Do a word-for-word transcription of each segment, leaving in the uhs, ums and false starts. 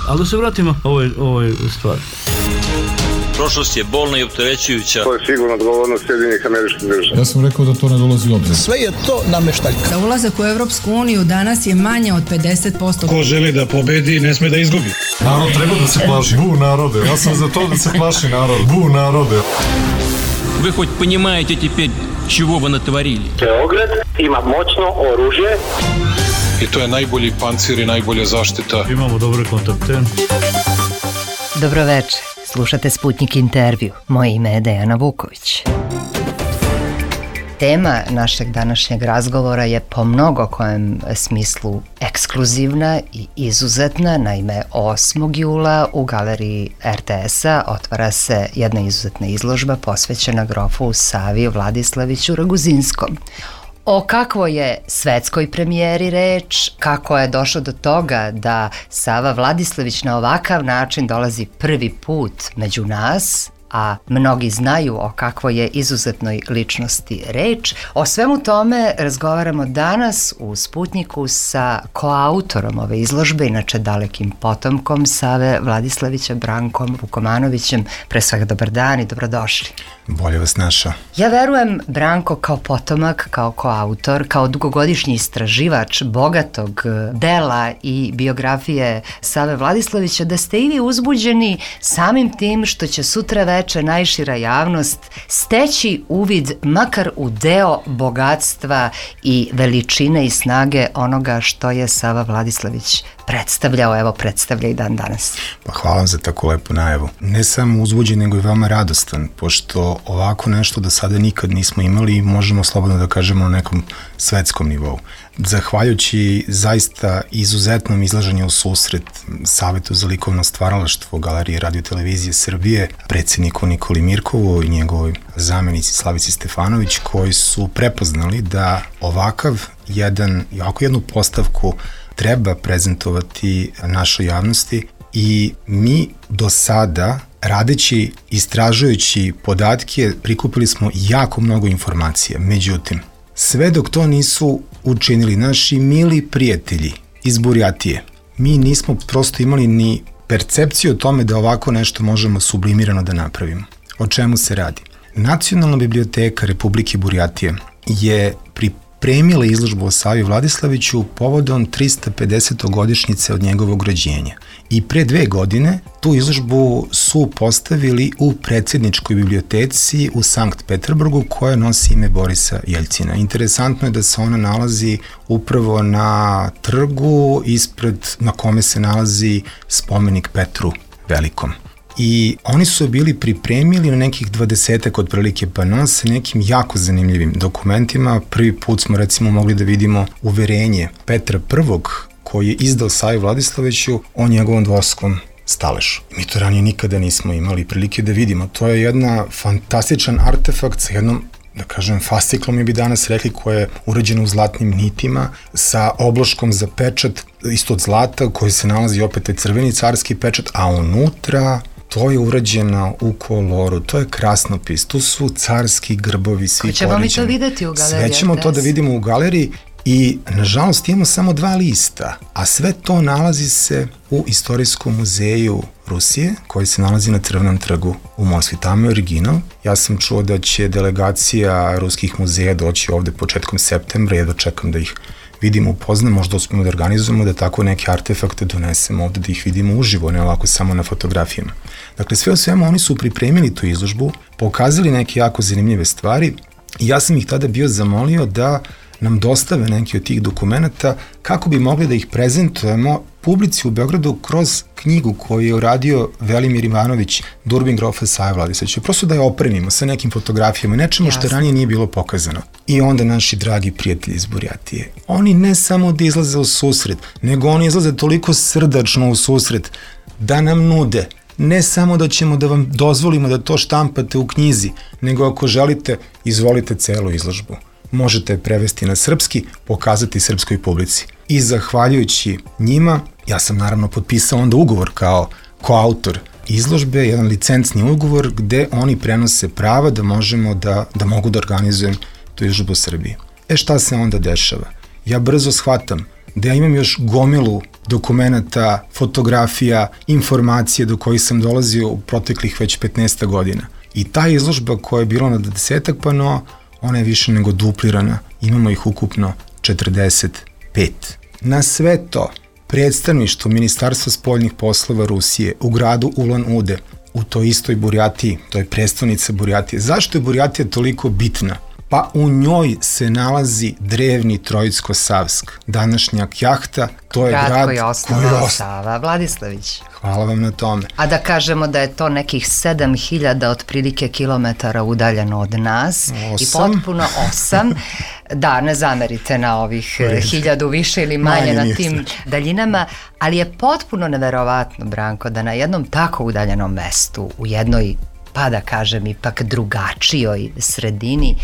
Ali da se vratimo ovoj, ovoj stvari. Prošlost je bolna i opterećujuća. To je sigurno odgovornost Sjedinjenih Američkih Država. Ja sam rekao da to ne dolazi u obzir. Sve je to nameštaljka. Za ulazak u Evropsku uniju danas je manje od pedeset posto. Ko želi da pobedi, ne sme da izgubi. Narod treba da se plaši. Bu narode. Ja sam za to da se plaši narod. Bu narode. Вы хоть понимаете теперь, чего вы натворили? Beograd ima moćno oružje. I to je najbolji pancir i najbolja zaštita. Imamo dobre kontakte. Dobroveče. Slušate Sputnik intervju. Moje ime je Dejana Vuković. Tema našeg današnjeg razgovora je po mnogo kojem smislu ekskluzivna i izuzetna. Naime, osmog jula u galeriji er te es-a otvara se jedna izuzetna izložba posvećena grofu Savi Vladislaviću Raguzinskom. O kakvoj je svetskoj premijeri reč, kako je došlo do toga da Sava Vladislavić na ovakav način dolazi prvi put među nas, a mnogi znaju o kakvoj je izuzetnoj ličnosti reč. O svemu tome razgovaramo danas u Sputniku sa koautorom ove izložbe, inače dalekim potomkom Save Vladislavića, Brankom Vukomanovićem. Pre svega dobar dan i dobrodošli. Bolje vas našao. Ja verujem, Branko, kao potomak, kao koautor, kao dugogodišnji istraživač bogatog dela i biografije Save Vladislavića, da ste i vi uzbuđeni samim tim što će sutra veče najšira javnost steći uvid makar u deo bogatstva i veličine i snage onoga što je Sava Vladislavić predstavljao, evo predstavlja i dan danas. Pa hvala vam za tako lepu najavu. Ne samo uzbuđen, nego i veoma radostan, pošto ovako nešto do sada nikad nismo imali i možemo slobodno da kažemo na nekom svetskom nivou. Zahvaljujući zaista izuzetnom izlaženju u susret Savetu za likovno stvaralaštvo Galerije Radio-televizije Srbije, predsjedniku Nikoli Mirkovu i njegovoj zamenici Slavici Stefanović, koji su prepoznali da ovakav jedan, ovako jednu postavku treba prezentovati našoj javnosti i mi do sada, radeći, istražujući podatke, prikupili smo jako mnogo informacija. Međutim, sve dok to nisu učinili naši mili prijatelji iz Burjatije, mi nismo prosto imali ni percepciju o tome da ovako nešto možemo sublimirano da napravimo. O čemu se radi? Nacionalna biblioteka Republike Burjatije je pripremila izložbu o Savi Vladislaviću povodom trista pedeset godišnjice od njegovog rođenja. I pre dve godine tu izložbu su postavili u predsjedničkoj biblioteci u Sankt Peterburgu, koja nosi ime Borisa Jeljcina. Interesantno je da se ona nalazi upravo na trgu ispred na kome se nalazi spomenik Petru Velikom. I oni su bili pripremili na nekih dvadesetak otprilike panoa sa nekim jako zanimljivim dokumentima. Prvi put smo recimo mogli da vidimo uverenje Petra Prvog koji je izdao Savi Vladislaviću o njegovom dvorskom staležu. Mi to ranije nikada nismo imali prilike da vidimo. To je jedna fantastičan artefakt sa jednom, da kažem, fasciklom, mi bi danas rekli, koja je urađena u zlatnim nitima, sa obloškom za pečat, isto od zlata, koji se nalazi opet taj crveni carski pečat, a unutra to je urađeno u koloru, to je krasnopis, tu su carski grbovi, svi poređeni. Hoćemo mi to videti u galeriji? Sve ćemo to da vidimo u galeriji i, nažalost, imamo samo dva lista, a sve to nalazi se u Istorijskom muzeju Rusije, koji se nalazi na Crvenom trgu u Moskvi. Tamo je original. Ja sam čuo da će delegacija ruskih muzeja doći ovde početkom septembra, jedva čekam da ih vidimo, upoznamo, možda uspemo da organizujemo da tako neke artefakte donesemo ovde, da ih vidimo uživo, ne ovako samo na fotografijama. Dakle, sve o svemu oni su pripremili tu izložbu, pokazali neke jako zanimljive stvari i ja sam ih tada bio zamolio da nam dostave neki od tih dokumenta kako bi mogli da ih prezentujemo publici u Beogradu kroz knjigu koju je uradio Velimir Ivanović, Durbin grofa Save Vladislavića. Prosto da je opremimo sa nekim fotografijama, nečemu što ranije nije bilo pokazano. I onda naši dragi prijatelji iz Burjatije, oni ne samo da izlaze u susret, nego oni izlaze toliko srdačno u susret da nam nude ne samo da ćemo da vam dozvolimo da to štampate u knjizi, nego ako želite, izvolite celu izložbu. Možete je prevesti na srpski, pokazati srpskoj publici. I zahvaljujući njima, ja sam naravno potpisao onda ugovor kao koautor izložbe, jedan licencni ugovor gde oni prenose prava da možemo da, da mogu da organizujem tu izložbu u Srbiji. E šta se onda dešava? Ja brzo shvatam da ja imam još gomilu dokumenata, fotografija, informacije do kojih sam dolazio u proteklih već petnaest godina. I ta izložba koja je bila na desetak panoa, ona je više nego duplirana. Imamo ih ukupno četrdeset pet. Na sve to, predstavništvo Ministarstva spoljnih poslova Rusije u gradu Ulan-Ude, u toj istoj Burjatiji, to je predstavnica Burjatije. Zašto je Burjatija toliko bitna? Pa u njoj se nalazi drevni Trojicko-Savsk, današnja Kjahta, to je grad, grad koji je osnovao Sava Vladislavić. Hvala vam na tome. A da kažemo da je to nekih sedam hiljada otprilike kilometara udaljeno od nas. Osam. I potpuno osam. Da, ne zamerite na ovih hiljadu više ili manje, manje na tim znači. daljinama, ali je potpuno neverovatno, Branko, da na jednom tako udaljenom mestu, u jednoj, pa da kažem, ipak drugačijoj sredini,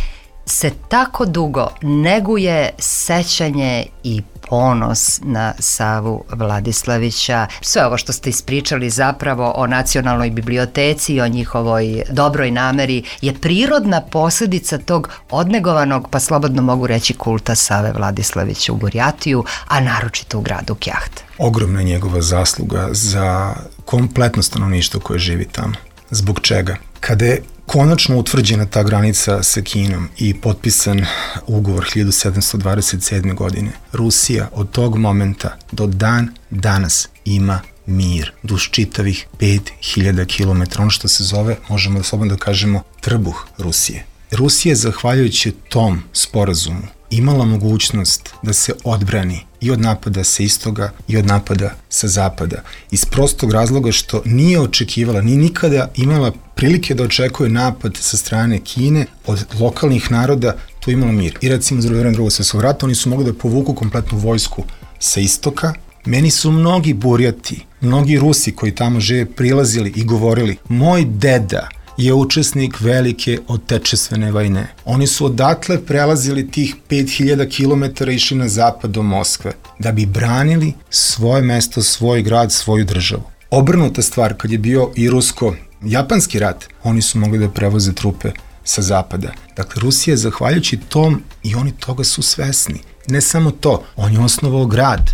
se tako dugo neguje sećanje i ponos na Savu Vladislavića. Sve ovo što ste ispričali zapravo o Nacionalnoj biblioteci i o njihovoj dobroj nameri je prirodna posljedica tog odnegovanog, pa slobodno mogu reći, kulta Save Vladislavića u Burjatiju, a naročito u gradu Kjaht. Ogromna njegova zasluga za kompletno stanovništvo koje živi tamo. Zbog čega? Kada je konačno utvrđena ta granica sa Kinom i potpisan ugovor hiljadu sedamsto dvadeset sedme. godine, Rusija od tog momenta do dan danas ima mir duž čitavih pet hiljada kilometara, ono što se zove, možemo slobodno da kažemo, trbuh Rusije. Rusija je, zahvaljujući tom sporazumu, imala mogućnost da se odbrani i od napada sa istoga i od napada sa zapada. Iz prostog razloga što nije očekivala, ni nikada imala prilike da očekuje napad sa strane Kine od lokalnih naroda, tu imala mir. I recimo za vreme Drugog svjetskog rata oni su mogli da povuku kompletnu vojsku sa istoka. Meni su mnogi Burjati, mnogi Rusi koji tamo žive prilazili i govorili: moj deda je učesnik velike otečestvene vojne. Oni su odatle prelazili tih pet hiljada kilometara i išli na zapad do Moskve da bi branili svoje mesto, svoj grad, svoju državu. Obrnuta stvar, kad je bio i rusko-japanski rat, oni su mogli da prevoze trupe sa zapada. Dakle, Rusija je, zahvaljujući tom, i oni toga su svesni. Ne samo to, on je osnovao grad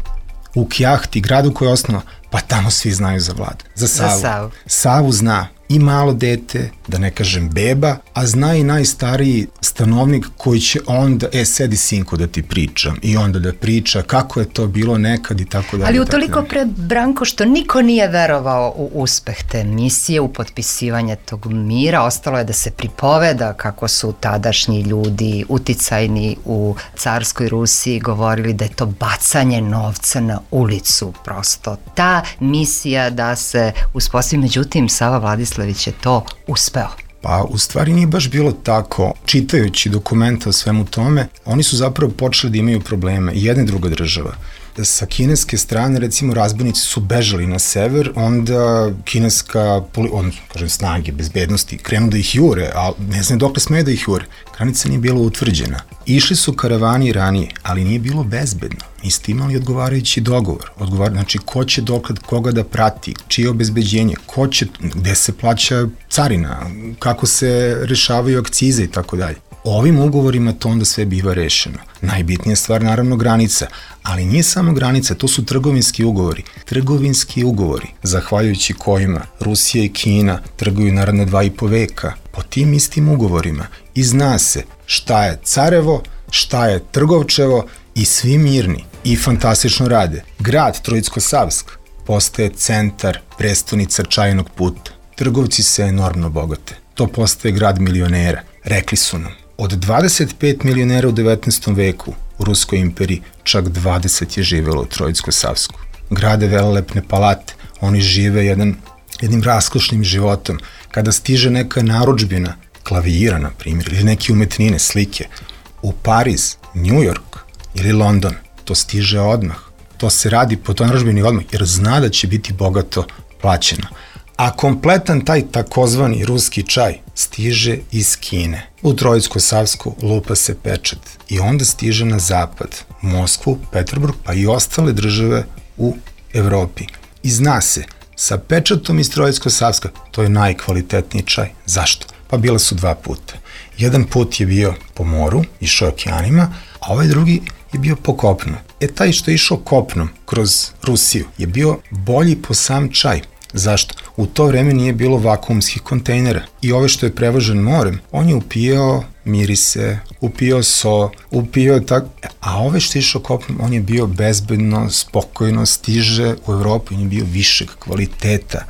u Kjahti, gradu koji je osnovao, pa tamo svi znaju za Vladu, za Savu. Za Savu. Savu zna i malo dete, da ne kažem beba, a zna i najstariji stanovnik koji će onda, e, sedi sinko da ti pričam, i onda da priča kako je to bilo nekad i tako dalje. Ali utoliko pre, Branko, što niko nije verovao u uspeh te misije, u potpisivanje tog mira, ostalo je da se pripoveda kako su tadašnji ljudi uticajni u carskoj Rusiji govorili da je to bacanje novca na ulicu, prosto. Ta misija da se uspostavi, međutim, Sava Vladislavić je to uspeo. Pa u stvari nije baš bilo tako. Čitajući dokumenta o svemu tome, oni su zapravo počeli da imaju probleme, i jedna i druga država. Sa kineske strane, recimo, razbojnici su bežali na sever, onda kineska, on, kažem, snage bezbednosti krenu da ih jure, a ne znam dokle smeju da ih jure. Granica nije bila utvrđena. Išli su karavani ranije, ali nije bilo bezbedno. Niste imali odgovarajući dogovor. Odgovar, znači, ko će dokle koga da prati, čije obezbeđenje, ko će, gde se plaća carina, kako se rešavaju akcize i tako dalje. Ovim ugovorima to onda sve biva rešeno. Najbitnija stvar, naravno, granica, ali nije samo granica, to su trgovinski ugovori. Trgovinski ugovori, zahvaljujući kojima Rusija i Kina trguju naravno dva i po veka, po tim istim ugovorima. I zna se šta je carevo, šta je trgovčevo, i svi mirni i fantastično rade. Grad Trojicko-Savsk postaje centar, prestonica čajnog puta. Trgovci se enormno bogate. To postaje grad milionera. Rekli su nam, od dvadeset pet milionera u devetnaestom veku u Ruskoj imperiji, čak dvadeset je živelo u Trojicko-Savsku. Grade velelepne palate, oni žive jedan, jednim raskošnim životom. Kada stiže neka narudžbina, klavira, na primjer, ili neke umetnine, slike, u Pariz, New York ili London, to stiže odmah. To se radi po toj narudžbini odmah, jer zna da će biti bogato plaćeno. A kompletan taj takozvani ruski čaj stiže iz Kine. U Trojicko-Savsku lupa se pečat i onda stiže na zapad, Moskvu, Peterburg, pa i ostale države u Evropi. I zna se, sa pečatom iz Trojicko-Savska, to je najkvalitetniji čaj. Zašto? Pa bila su dva puta. Jedan put je bio po moru, išao okeanima, a ovaj drugi je bio po kopnu. E, taj što je išao kopnom kroz Rusiju je bio bolji po sam čaj. Zašto? U to vreme nije bilo vakuumskih kontejnera i ove što je prevožen morem, on je upijao mirise, upijao so, upijao tak, a ove što je išao kopnom, on je bio bezbedno, spokojno, stiže u Evropu, on je bio višeg kvaliteta,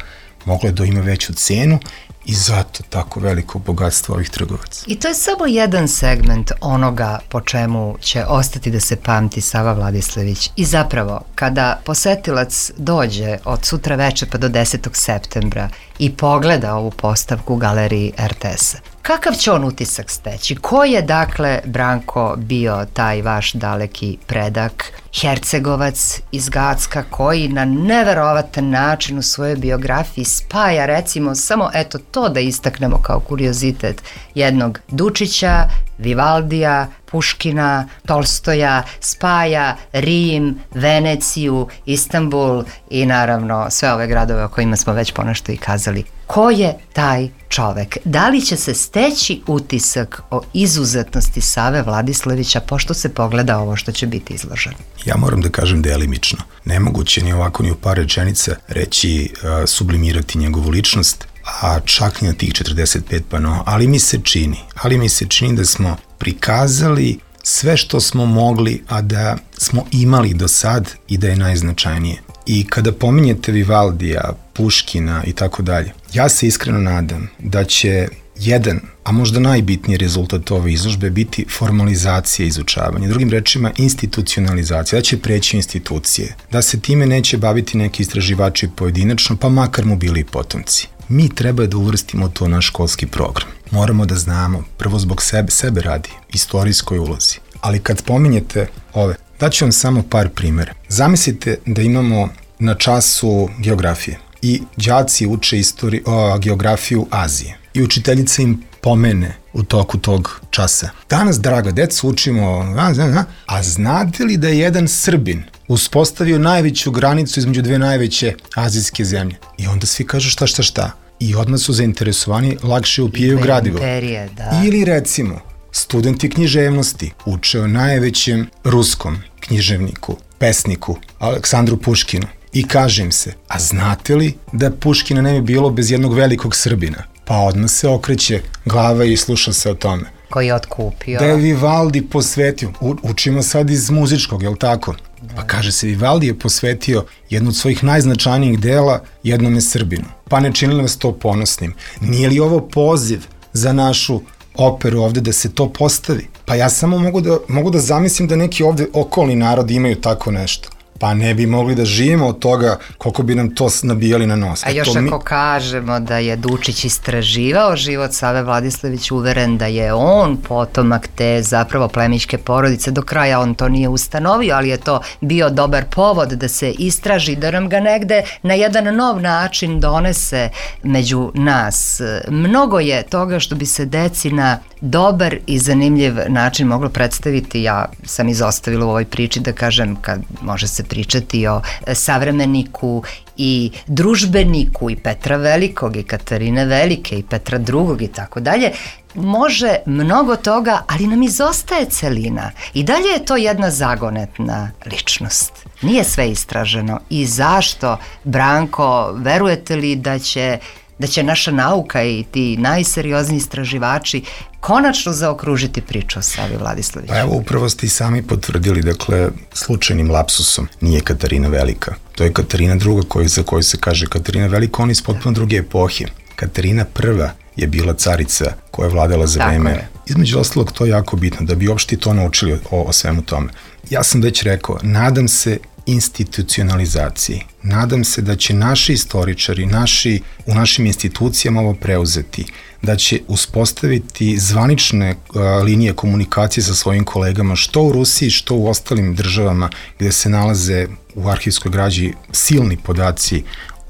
moglo je da ima veću cenu i zato tako veliko bogatstvo ovih trgovaca. I to je samo jedan segment onoga po čemu će ostati da se pamti Sava Vladislević. I zapravo, kada posetilac dođe od sutra veče pa do desetog septembra i pogleda ovu postavku u galeriji er te es-a, kakav će on utisak steći? Ko je, dakle, Branko, bio taj vaš daleki predak, Hercegovac iz Gacka, koji na neverovatan način u svojoj biografiji spaja, recimo, samo eto to da istaknemo kao kuriozitet, jednog Dučića, Vivaldija, Puškina, Tolstoja, spaja Rim, Veneciju, Istanbul i naravno sve ove gradove o kojima smo već ponešto i kazali. Ko je taj čovek? Da li će se steći utisak o izuzetnosti Save Vladislevića pošto se pogleda ovo što će biti izloženo? Ja moram da kažem delimično. Nemoguće ni ovako ni u par rečenica reći, uh, sublimirati njegovu ličnost, a čak ni na tih četrdeset pet panoa, ali mi se čini, ali mi se čini da smo prikazali sve što smo mogli, a da smo imali do sad i da je najznačajnije. I kada pominjete Vivaldija, Puškina i tako dalje, ja se iskreno nadam da će jedan, a možda najbitniji rezultat ove izložbe biti formalizacija izučavanja, drugim rečima institucionalizacija, da će preći institucije, da se time neće baviti neki istraživači pojedinačno, pa makar mu bili i potomci. Mi treba da uvrstimo to na školski program. Moramo da znamo, prvo zbog sebe, sebe radi, istorijskoj ulozi. Ali kad pominjete ove, daću vam samo par primjera. Zamislite da imamo na času geografije i đaci uče istori, o, geografiju Azije i učiteljica im pomene u toku tog časa. Danas, draga deca, učimo, a, a, a znate li da je jedan Srbin uspostavio najveću granicu između dve najveće azijske zemlje? I onda svi kažu šta, šta, šta. I odmah su zainteresovani, lakše upijaju gradivo. Imperije, da. Ili recimo, studenti književnosti uče o najvećem ruskom književniku, pesniku, Aleksandru Puškinu. I kaže im se, a znate li da Puškina ne bi bilo bez jednog velikog Srbina? Pa odmah se okreće glava i sluša se o tome. Koji je otkupio. Da je Vivaldi posvetio, u, učimo sad iz muzičkog, jel tako? Pa kaže se, Vivaldi je posvetio jednu od svojih najznačajnijih dela jednome Srbinu. Pa ne činili vas to ponosnim. Nije li ovo poziv za našu operu ovde da se to postavi? Pa ja samo mogu da, mogu da zamislim da neki ovde okolni narodi imaju tako nešto. Pa ne bi mogli da živimo od toga koliko bi nam to nabijali na nos. A još to ako mi... kažemo da je Dučić istraživao život Save Vladislević, uveren da je on potomak te zapravo plemićke porodice, do kraja on to nije ustanovio, ali je to bio dobar povod da se istraži, da nam ga negde na jedan nov način donese među nas. Mnogo je toga što bi se deci na dobar i zanimljiv način moglo predstaviti. Ja sam izostavila u ovoj priči da kažem, kad može se pričati o savremeniku i družbeniku i Petra Velikog i Katarine Velike i Petra Drugog i tako dalje, može mnogo toga, ali nam izostaje celina. I dalje je to jedna zagonetna ličnost. Nije sve istraženo. I zašto, Branko, verujete li da će da će naša nauka i ti najseriozniji istraživači konačno zaokružiti priču o Savi Vladisleviću? Pa evo, upravo ste i sami potvrdili, dakle, slučajnim lapsusom nije Katarina Velika. To je Katarina druga koju, za koju se kaže Katarina Velika, ona iz potpuno druge epohe. Katarina prva je bila carica koja je vladala za vreme. Između ostalog, to je jako bitno, da bi uopšte to naučili o, o svemu tome. Ja sam već rekao, nadam se institucionalizaciji. Nadam se da će naši istoričari, naši, u našim institucijama ovo preuzeti, da će uspostaviti zvanične uh, linije komunikacije sa svojim kolegama, što u Rusiji, što u ostalim državama gde se nalaze u arhivskoj građi silni podaci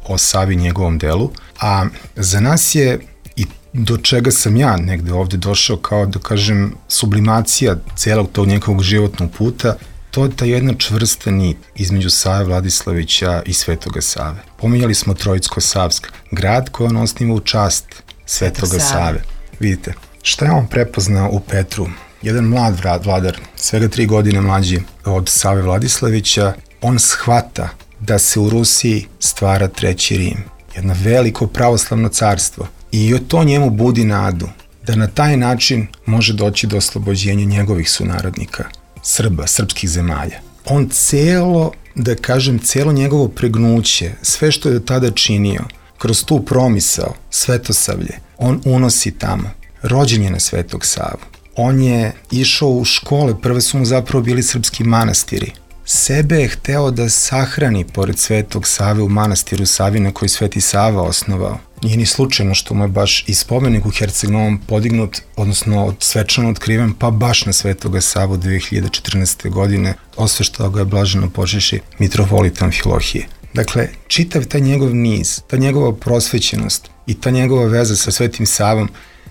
o Savi, njegovom delu, a za nas je i do čega sam ja negde ovde došao kao, da kažem, sublimacija celog tog njegovog životnog puta, to je ta jedna čvrsta nit između Save Vladislavića i Svetoga Save. Pominjali smo Trojicko-Savsk, grad koji on osniva u čast Svetoga Save. Vidite, šta je on prepoznao u Petru jedan mlad vladar, svega tri godine mlađi od Save Vladislavića, on shvata da se u Rusiji stvara treći Rim, jedno veliko pravoslavno carstvo, i to njemu budi nadu da na taj način može doći do oslobođenja njegovih sunarodnika, Srba, srpskih zemalja. On celo, da kažem, celo njegovo pregnuće, sve što je do tada činio, kroz tu promisao, Svetosavlje, on unosi tamo. Rođen je na Svetog Savu. On je išao u škole, prve su mu zapravo bili srpski manastiri. Sebe je hteo da sahrani pored Svetog Save u manastiru Savina koji Sveti Sava osnovao. Nije ni slučajno što mu je baš i spomenik u Herceg Novom podignut, odnosno svečano otkriven, pa baš na Svetoga Savu dve hiljade četrnaeste. godine, osveštao ga je blaženo počeši mitropolit Amfilohije. Dakle, čitav taj njegov niz, ta njegova prosvećenost i ta njegova veza sa Svetim Savom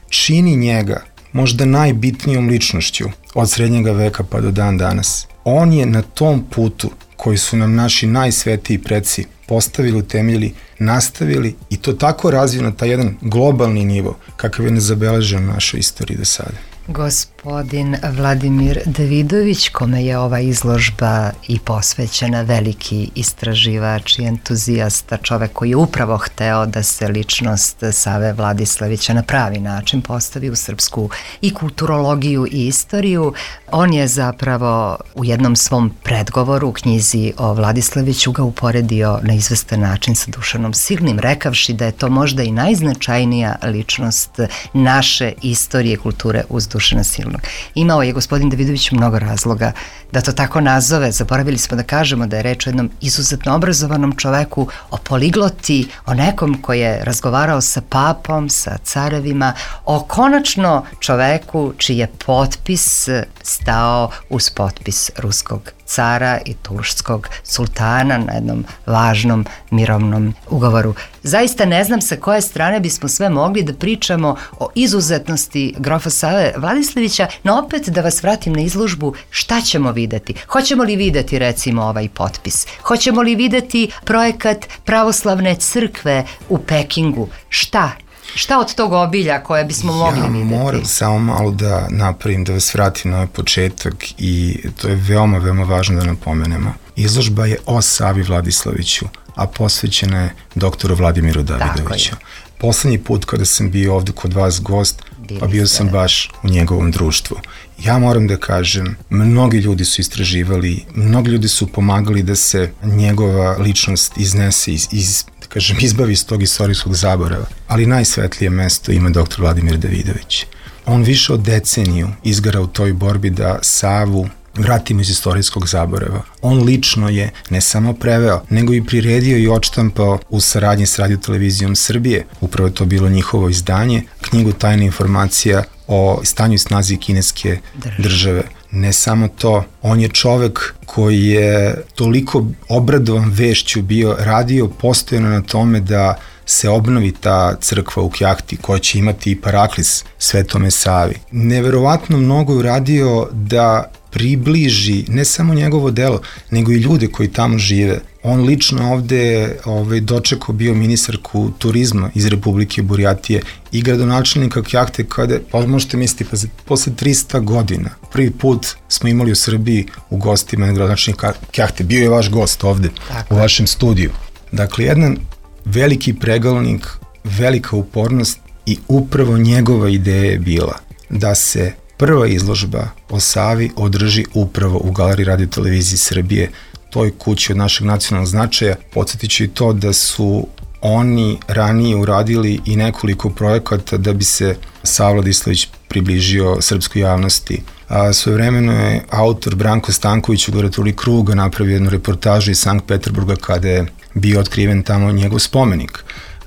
čini njega možda najbitnijom ličnošću od srednjega veka pa do dan danas. On je na tom putu koji su nam naši najsvetiji preci postavili, utemeljili, nastavili i to tako razvio na taj jedan globalni nivo kakav je nezabeležen u našoj istoriji do sada. Gospodin Vladimir Davidović, kome je ova izložba i posvećena, veliki istraživač i entuzijasta, čovek koji je upravo hteo da se ličnost Save Vladislavića na pravi način postavi u srpsku i kulturologiju i istoriju. On je zapravo u jednom svom predgovoru u knjizi o Vladislaviću ga uporedio na izvestan način sa Dušanom Silnim, rekavši da je to možda i najznačajnija ličnost naše istorije kulture uz Dušana Silnog. Imao je gospodin Davidović mnogo razloga da to tako nazove. Zaboravili smo da kažemo da je reč o jednom izuzetno obrazovanom čoveku, o poligloti, o nekom koji je razgovarao sa papom, sa carevima, o konačno čoveku čiji je potpis stao uz potpis ruskog cara i turskog sultana na jednom važnom mirovnom ugovoru. Zaista ne znam sa koje strane bismo sve mogli da pričamo o izuzetnosti grofa Save Vladislavića, no opet da vas vratim na izložbu, šta ćemo videti? Hoćemo li videti recimo ovaj potpis? Hoćemo li videti projekat pravoslavne crkve u Pekingu? Šta? Šta od tog obilja koje bismo mogli ja videti? Ja moram samo malo da napravim, da vas vratim na ovaj početak i to je veoma, veoma važno da napomenemo. Izložba je o Savi Vladislaviću, a posvećena je doktoru Vladimiru Davidoviću. Poslednji put kada sam bio ovde kod vas gost, Bili pa bio sam baš u njegovom društvu. Ja moram da kažem, mnogi ljudi su istraživali, mnogi ljudi su pomagali da se njegova ličnost iznese iz, iz kažem, izbavi iz tog istorijskog zaborava, ali najsvetlije mesto ima doktor Vladimir Davidović. On više od deceniju izgara u toj borbi da Savu vratimo iz istorijskog zaborava. On lično je ne samo preveo, nego i priredio i odštampao u saradnji s Radio-televizijom Srbije, upravo je to bilo njihovo izdanje, knjigu Tajna informacija o stanju i snazi kineske države. Ne samo to, on je čovek koji je toliko obradovan vešću bio, radio postojano na tome da se obnovi ta crkva u Kjahti koja će imati i paraklis Svetome Savi. Neverovatno mnogo je uradio da približi ne samo njegovo delo, nego i ljude koji tamo žive. On lično ovde ovaj, dočekao bio ministarku turizma iz Republike Burjatije i gradonačelnika Kjahte kada, pa možete misliti, pa posle trista godina prvi put smo imali u Srbiji u gostima gradonačelnika Kjahte. Bio je vaš gost ovde, tako u vašem studiju. Dakle, jedan veliki pregalnik, velika upornost i upravo njegova ideja je bila da se prva izložba o Savi održi upravo u Galeriji Radio-televizije Srbije, toj kući od našeg nacionalnog značaja. Podsjetit ću i to da su oni ranije uradili i nekoliko projekata da bi se Sava Vladislavić približio srpskoj javnosti. A svojevremeno je autor Branko Stanković u Goratuli Kruga napravio jednu reportažu iz Sankt Peterburga kada je bio otkriven tamo njegov spomenik.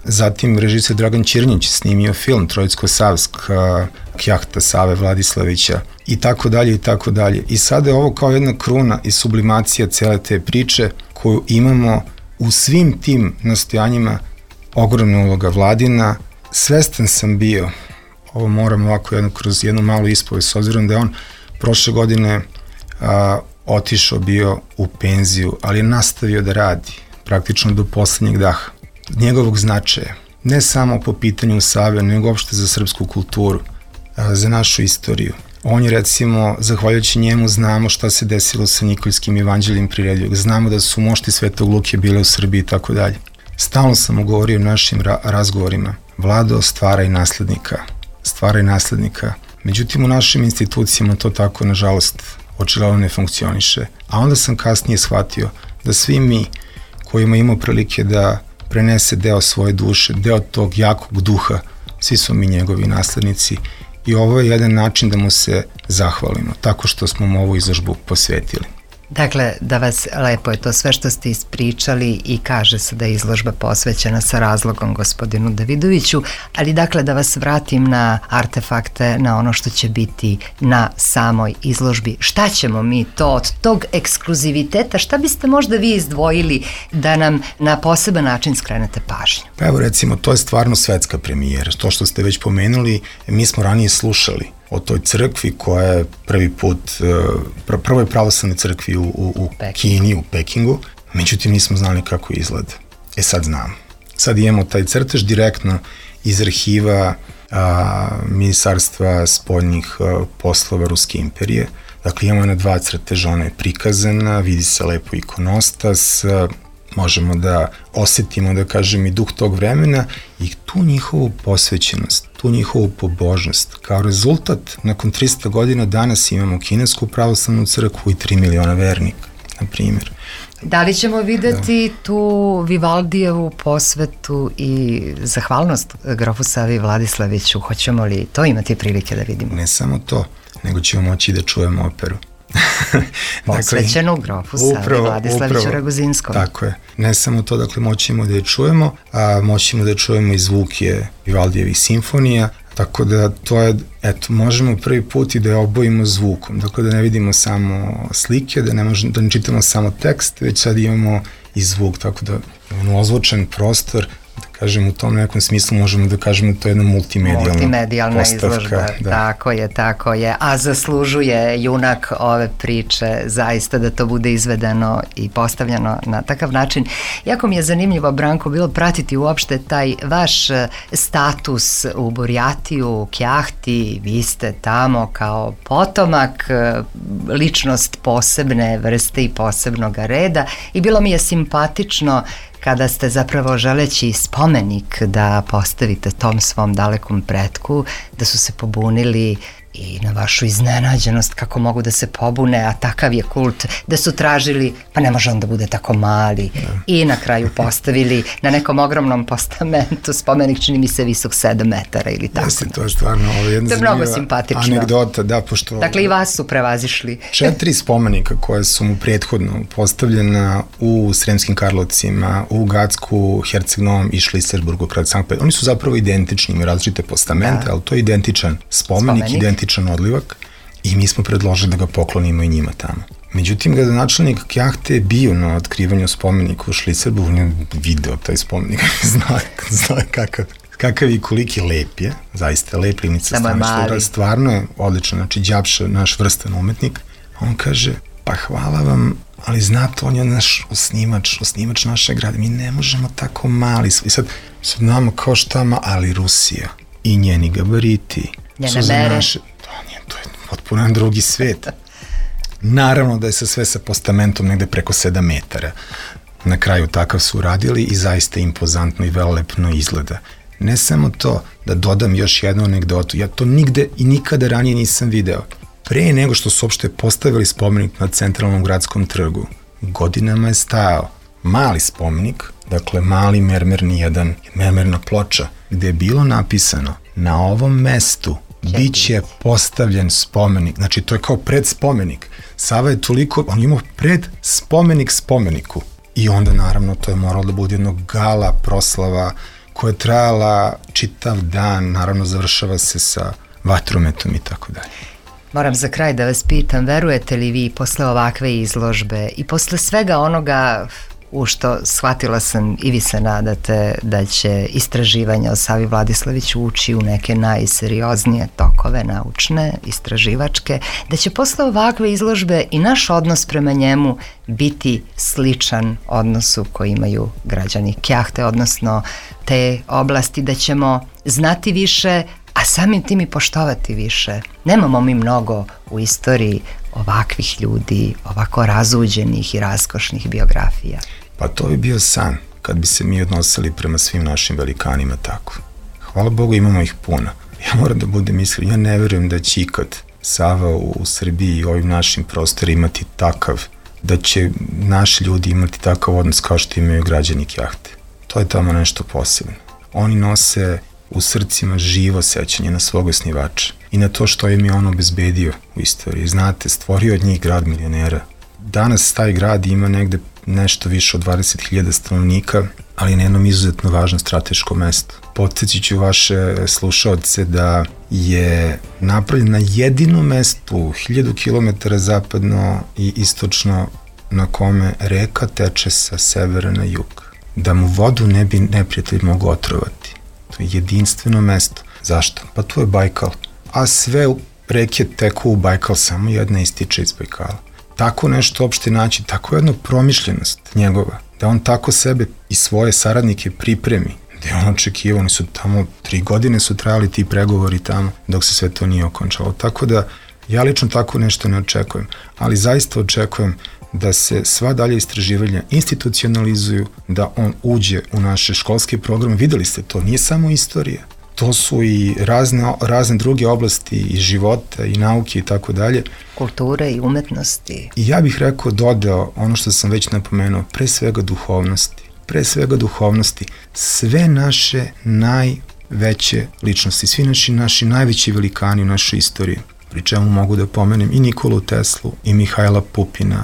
Zatim režiser Dragan Ćirnjić snimio film Trojicko-Savska Kjahta Save Vladislavića i tako dalje i tako dalje. I sada je ovo kao jedna kruna i sublimacija cele te priče koju imamo u svim tim nastojanjima. Ogromna uloga Vladina. Svestan sam bio, ovo moram ovako jedno, kroz jednu malu ispovest, s obzirom da je on prošle godine a, otišao bio u penziju, ali je nastavio da radi praktično do poslednjeg daha. Njegovog značaja, ne samo po pitanju Save, nego uopšte za srpsku kulturu, za našu istoriju, On je recimo, zahvaljujući njemu znamo šta se desilo sa Nikoljskim evanđeljem priredljivog, znamo da su mošti Svetog Luke bile u Srbiji i tako dalje. Stalno sam mu govorio u našim ra- razgovorima, Vlado, stvaraj naslednika, stvaraj naslednika. Međutim, u našim institucijama to tako, nažalost, očigledno ne funkcioniše. A onda sam kasnije shvatio da svi mi kojima imamo prilike da prenese deo svoje duše, deo tog jakog duha, svi smo mi njegovi naslednici i ovo je jedan način da mu se zahvalimo, tako što smo mu ovu izložbu posvetili. Dakle, da vas lepo je to sve što ste ispričali i kaže se da je izložba posvećena sa razlogom gospodinu Davidoviću, ali dakle da vas vratim na artefakte, na ono što će biti na samoj izložbi. Šta ćemo mi to od tog ekskluziviteta, šta biste možda vi izdvojili da nam na poseban način skrenete pažnju? Pa evo recimo, to je stvarno svetska premijera. To što ste već pomenuli, mi smo ranije slušali o toj crkvi koja je prvi put, pr- prvoj pravoslavnoj crkvi u, u, u Kini, u Pekingu, međutim nismo znali kako izgleda. E sad znamo. Sad imamo taj crtež direktno iz arhiva a, Ministarstva spoljnih a, poslova Ruske imperije. Dakle, imamo na dva crteža, ona je prikazana, vidi se lepo ikonostas, a, možemo da osetimo, da kažem, i duh tog vremena i tu njihovu posvećenost, tu njihovu pobožnost. Kao rezultat, nakon tristo godina danas imamo kinesku pravoslavnu crkvu i tri miliona vernika, na primjer. Da li ćemo videti da. tu Vivaldijevu posvetu i zahvalnost grofu Savi Vladislaviću? Hoćemo li to imati prilike da vidimo? Ne samo to, nego ćemo moći da čujemo operu. Posvećenu grofu Savi Vladislaviću Raguzinskom. Tako je. Ne samo to, dakle, moćemo da je čujemo, a moćemo da je čujemo i zvuke Vivaldijevih simfonija, tako da to je, eto, možemo prvi put i da je obojimo zvukom, dakle da ne vidimo samo slike, da ne, možemo, da ne čitamo samo tekst, već sad imamo i zvuk, tako da imamo ozvučen prostor, da kažem, u tom nekom smislu možemo da kažemo da to je jedna multimedijalna, multimedijalna postavka, izložba. Da. Tako je, tako je. A zaslužuje junak ove priče zaista da to bude izvedeno i postavljeno na takav način. Jako mi je zanimljivo, Branko, bilo pratiti uopšte taj vaš status u Burjatiju, u Kjahti. Vi ste tamo kao potomak, ličnost posebne vrste i posebnog reda i bilo mi je simpatično kada ste zapravo želeći spomenik da postavite tom svom dalekom pretku, da su se pobunili i na vašu iznenađenost kako mogu da se pobune, a takav je kult, da su tražili, pa ne može on da bude tako mali. Da. I na kraju postavili na nekom ogromnom postamentu spomenik, čini mi se visok sedam metara ili tako. Jeste, to je stvarno ovo jedna to je mnogo simpatično. Anegdota, da, pošto... Dakle, i vas su prevazišli. Četiri spomenika koje su mu prethodno postavljena u Sremskim Karlovcima, u Gacku, Herceg-Novom i Šliserburgu, kraj Sankt Petersburga. Oni su zapravo identični, imaju različite postamente, da. Ali to je identičan spomenik, spomenik. identičan odlivak i mi smo predložili da ga poklonimo i njima tamo. Međutim, gradonačelnik Kjahte je bio na otkrivanju spomenika u Šliserburgu, on je video taj spomenik, zna, zna kakav, kakav i koliki lep je, zaista lep Livnica Staništa, stvarno je odlično, znači Đapša, naš vrstan umetnik, on kaže, pa hvala vam, ali znate, on je naš osnimač, osnimač naše grade, mi ne možemo tako mali, i sad, sad nama kao štama, ali Rusija i njeni gabariti, njene mere. Naše, to, nije, to je potpuno jedan drugi svet. Naravno da je se sve sa postamentom negde preko sedam metara. Na kraju takav su uradili i zaista impozantno i velelepno izgleda. Ne samo to, da dodam još jednu anegdotu, ja to nigde i nikada ranije nisam video. Pre nego što su uopšte postavili spomenik na centralnom gradskom trgu, godinama je stajao mali spomenik, dakle mali mermerni jedan, mermerna ploča, gde je bilo napisano na ovom mestu biće postavljen spomenik, znači to je kao predspomenik. Sava je toliko, on imao pred spomenik spomeniku i onda naravno to je moralo da bude jedno gala proslava koja je trajala čitav dan, naravno završava se sa vatrometom i tako dalje. Moram za kraj da vas pitam, verujete li vi posle ovakve izložbe i posle svega onoga u što shvatila sam i vi se nadate da će istraživanja o Savi Vladislaviću ući u neke najserioznije tokove naučne, istraživačke, da će posle ovakve izložbe i naš odnos prema njemu biti sličan odnosu koji imaju građani Kjahte, odnosno te oblasti, da ćemo znati više, a a samim tim i poštovati više. Nemamo mi mnogo u istoriji ovakvih ljudi, ovako razuđenih i raskošnih biografija. Pa to bi bio san, kad bi se mi odnosili prema svim našim velikanima tako. Hvala Bogu, imamo ih puno. Ja moram da budem iskren, ja ne verujem da će ikad Sava u, u Srbiji i ovim našim prostorima imati takav, da će naši ljudi imati takav odnos kao što imaju građani Kjahte. To je tamo nešto posebno. Oni nose u srcima živo sećanje na svog osnivača i na to što im je on obezbedio u istoriji. Znate, stvorio od njih grad milionera. Danas taj grad ima negde nešto više od dvadeset hiljada stanovnika, ali na jednom izuzetno važnom strateškom mestu. Podsjetit ću vaše slušaoce da je napravljen na jedinom mestu hiljadu kilometara zapadno i istočno na kome reka teče sa severa na jug. Da mu vodu ne bi neprijatelj mogao otrovati. To je jedinstveno mesto. Zašto? Pa tu je Bajkal. A sve reke teku u Bajkal, samo jedna ističe iz Bajkala. Tako nešto uopšte naći, tako jedna promišljenost njegova, da on tako sebe i svoje saradnike pripremi, da je on očekivao, oni su tamo, tri godine su trajali ti pregovori tamo, dok se sve to nije okončalo. Tako da, ja lično tako nešto ne očekujem, ali zaista očekujem da se sva dalje istraživanja institucionalizuju, da on uđe u naše školske programe. Videli ste to, nije samo istorija. To su i razne, razne druge oblasti i života i nauke i tako dalje. Kulture i umetnosti. I ja bih rekao, dodao ono što sam već napomenuo, pre svega duhovnosti. Pre svega duhovnosti. Sve naše najveće ličnosti, svi naši, naši najveći velikani u našoj istoriji, pri čemu mogu da pomenem i Nikolu Teslu i Mihajla Pupina,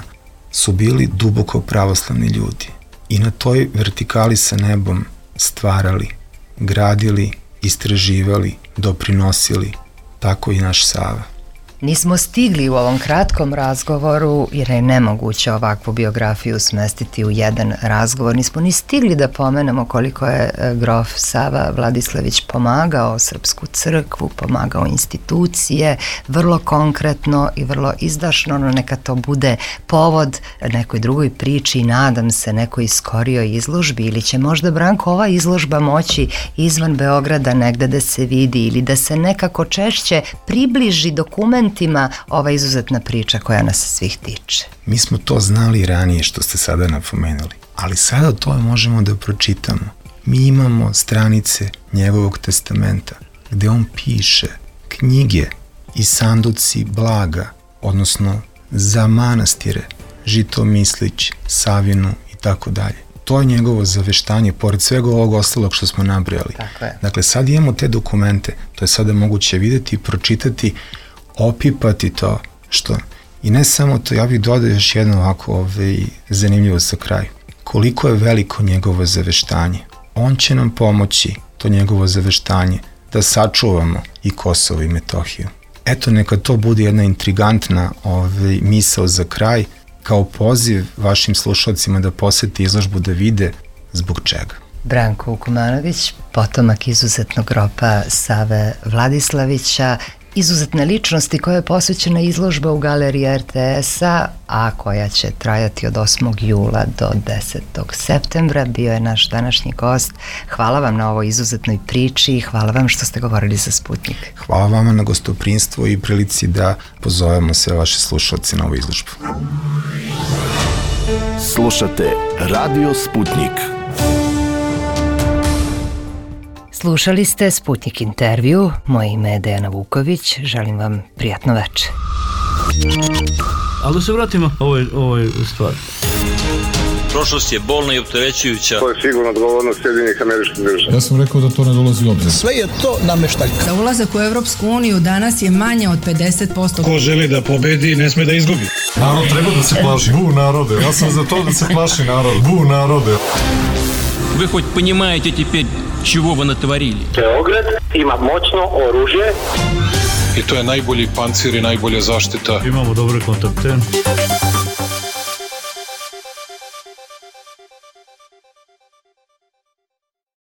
su bili duboko pravoslavni ljudi. I na toj vertikali sa nebom stvarali, gradili, istraživali, doprinosili, tako i naš Sava. Nismo stigli u ovom kratkom razgovoru, jer je nemoguće ovakvu biografiju smestiti u jedan razgovor, nismo ni stigli da pomenemo koliko je grof Sava Vladislavić pomagao Srpsku crkvu, pomagao institucije, vrlo konkretno i vrlo izdašno, no neka to bude povod nekoj drugoj priči i nadam se nekoj skorijoj izložbi, ili će možda, Branko, ova izložba moći izvan Beograda negde da se vidi ili da se nekako češće približi dokument ova izuzetna priča koja nas svih tiče. Mi smo to znali ranije što ste sada napomenuli, ali sada to možemo da pročitamo. Mi imamo stranice njegovog testamenta gde on piše knjige i sanduci blaga, odnosno za manastire, Žitomislić, Savinu i tako dalje. To je njegovo zaveštanje, pored svega ovog ostalog što smo nabrojali. Dakle, sad imamo te dokumente, to je sada moguće videti i pročitati, opipati to što, i ne samo to, ja bih dodao još jedno ovako ovaj, zanimljivo sa kraju. Koliko je veliko njegovo zaveštanje. On će nam pomoći, to njegovo zaveštanje, da sačuvamo i Kosovo i Metohiju. Eto, neka to bude jedna intrigantna ovaj, misao za kraj, kao poziv vašim slušalcima da poseti izložbu, da vide zbog čega. Branko Vukomanović, potomak izuzetnog grofa Save Vladislavića, izuzetne ličnosti koja je posvećena izložba u galeriji er te es-a, a koja će trajati od osmog jula do desetog septembra. Bio je naš današnji gost. Hvala vam na ovoj izuzetnoj priči i hvala vam što ste govorili za Sputnik. Hvala vama na gostoprinstvu i prilici da pozovemo sve vaše slušalce na ovu izložbu. Slušate Radio Sputnik. Slušali ste Sputnik intervju. Moje ime je Dejana Vuković. Želim vam prijatno večer. Ali da se vratimo ovoj, ovoj stvari. Prošlost je bolna i opterećujuća. To je sigurno odgovornost Sjedinjenih Američkih Država. Ja sam rekao da to ne dolazi u obzir. Sve je to nameštaljka. Za ulazak u Evropsku uniju danas je manje od pedeset posto. Ko želi da pobedi, ne sme da izgubi. Narod treba da se plaši. Bu narode. Ja sam za to da se plaši narod. Bu narode. Вы хоть понимаете теперь, чего вы натворили? Beograd ima moćno oružje. I to je najbolji pancir i najbolja zaštita. Imamo dobre kontakte.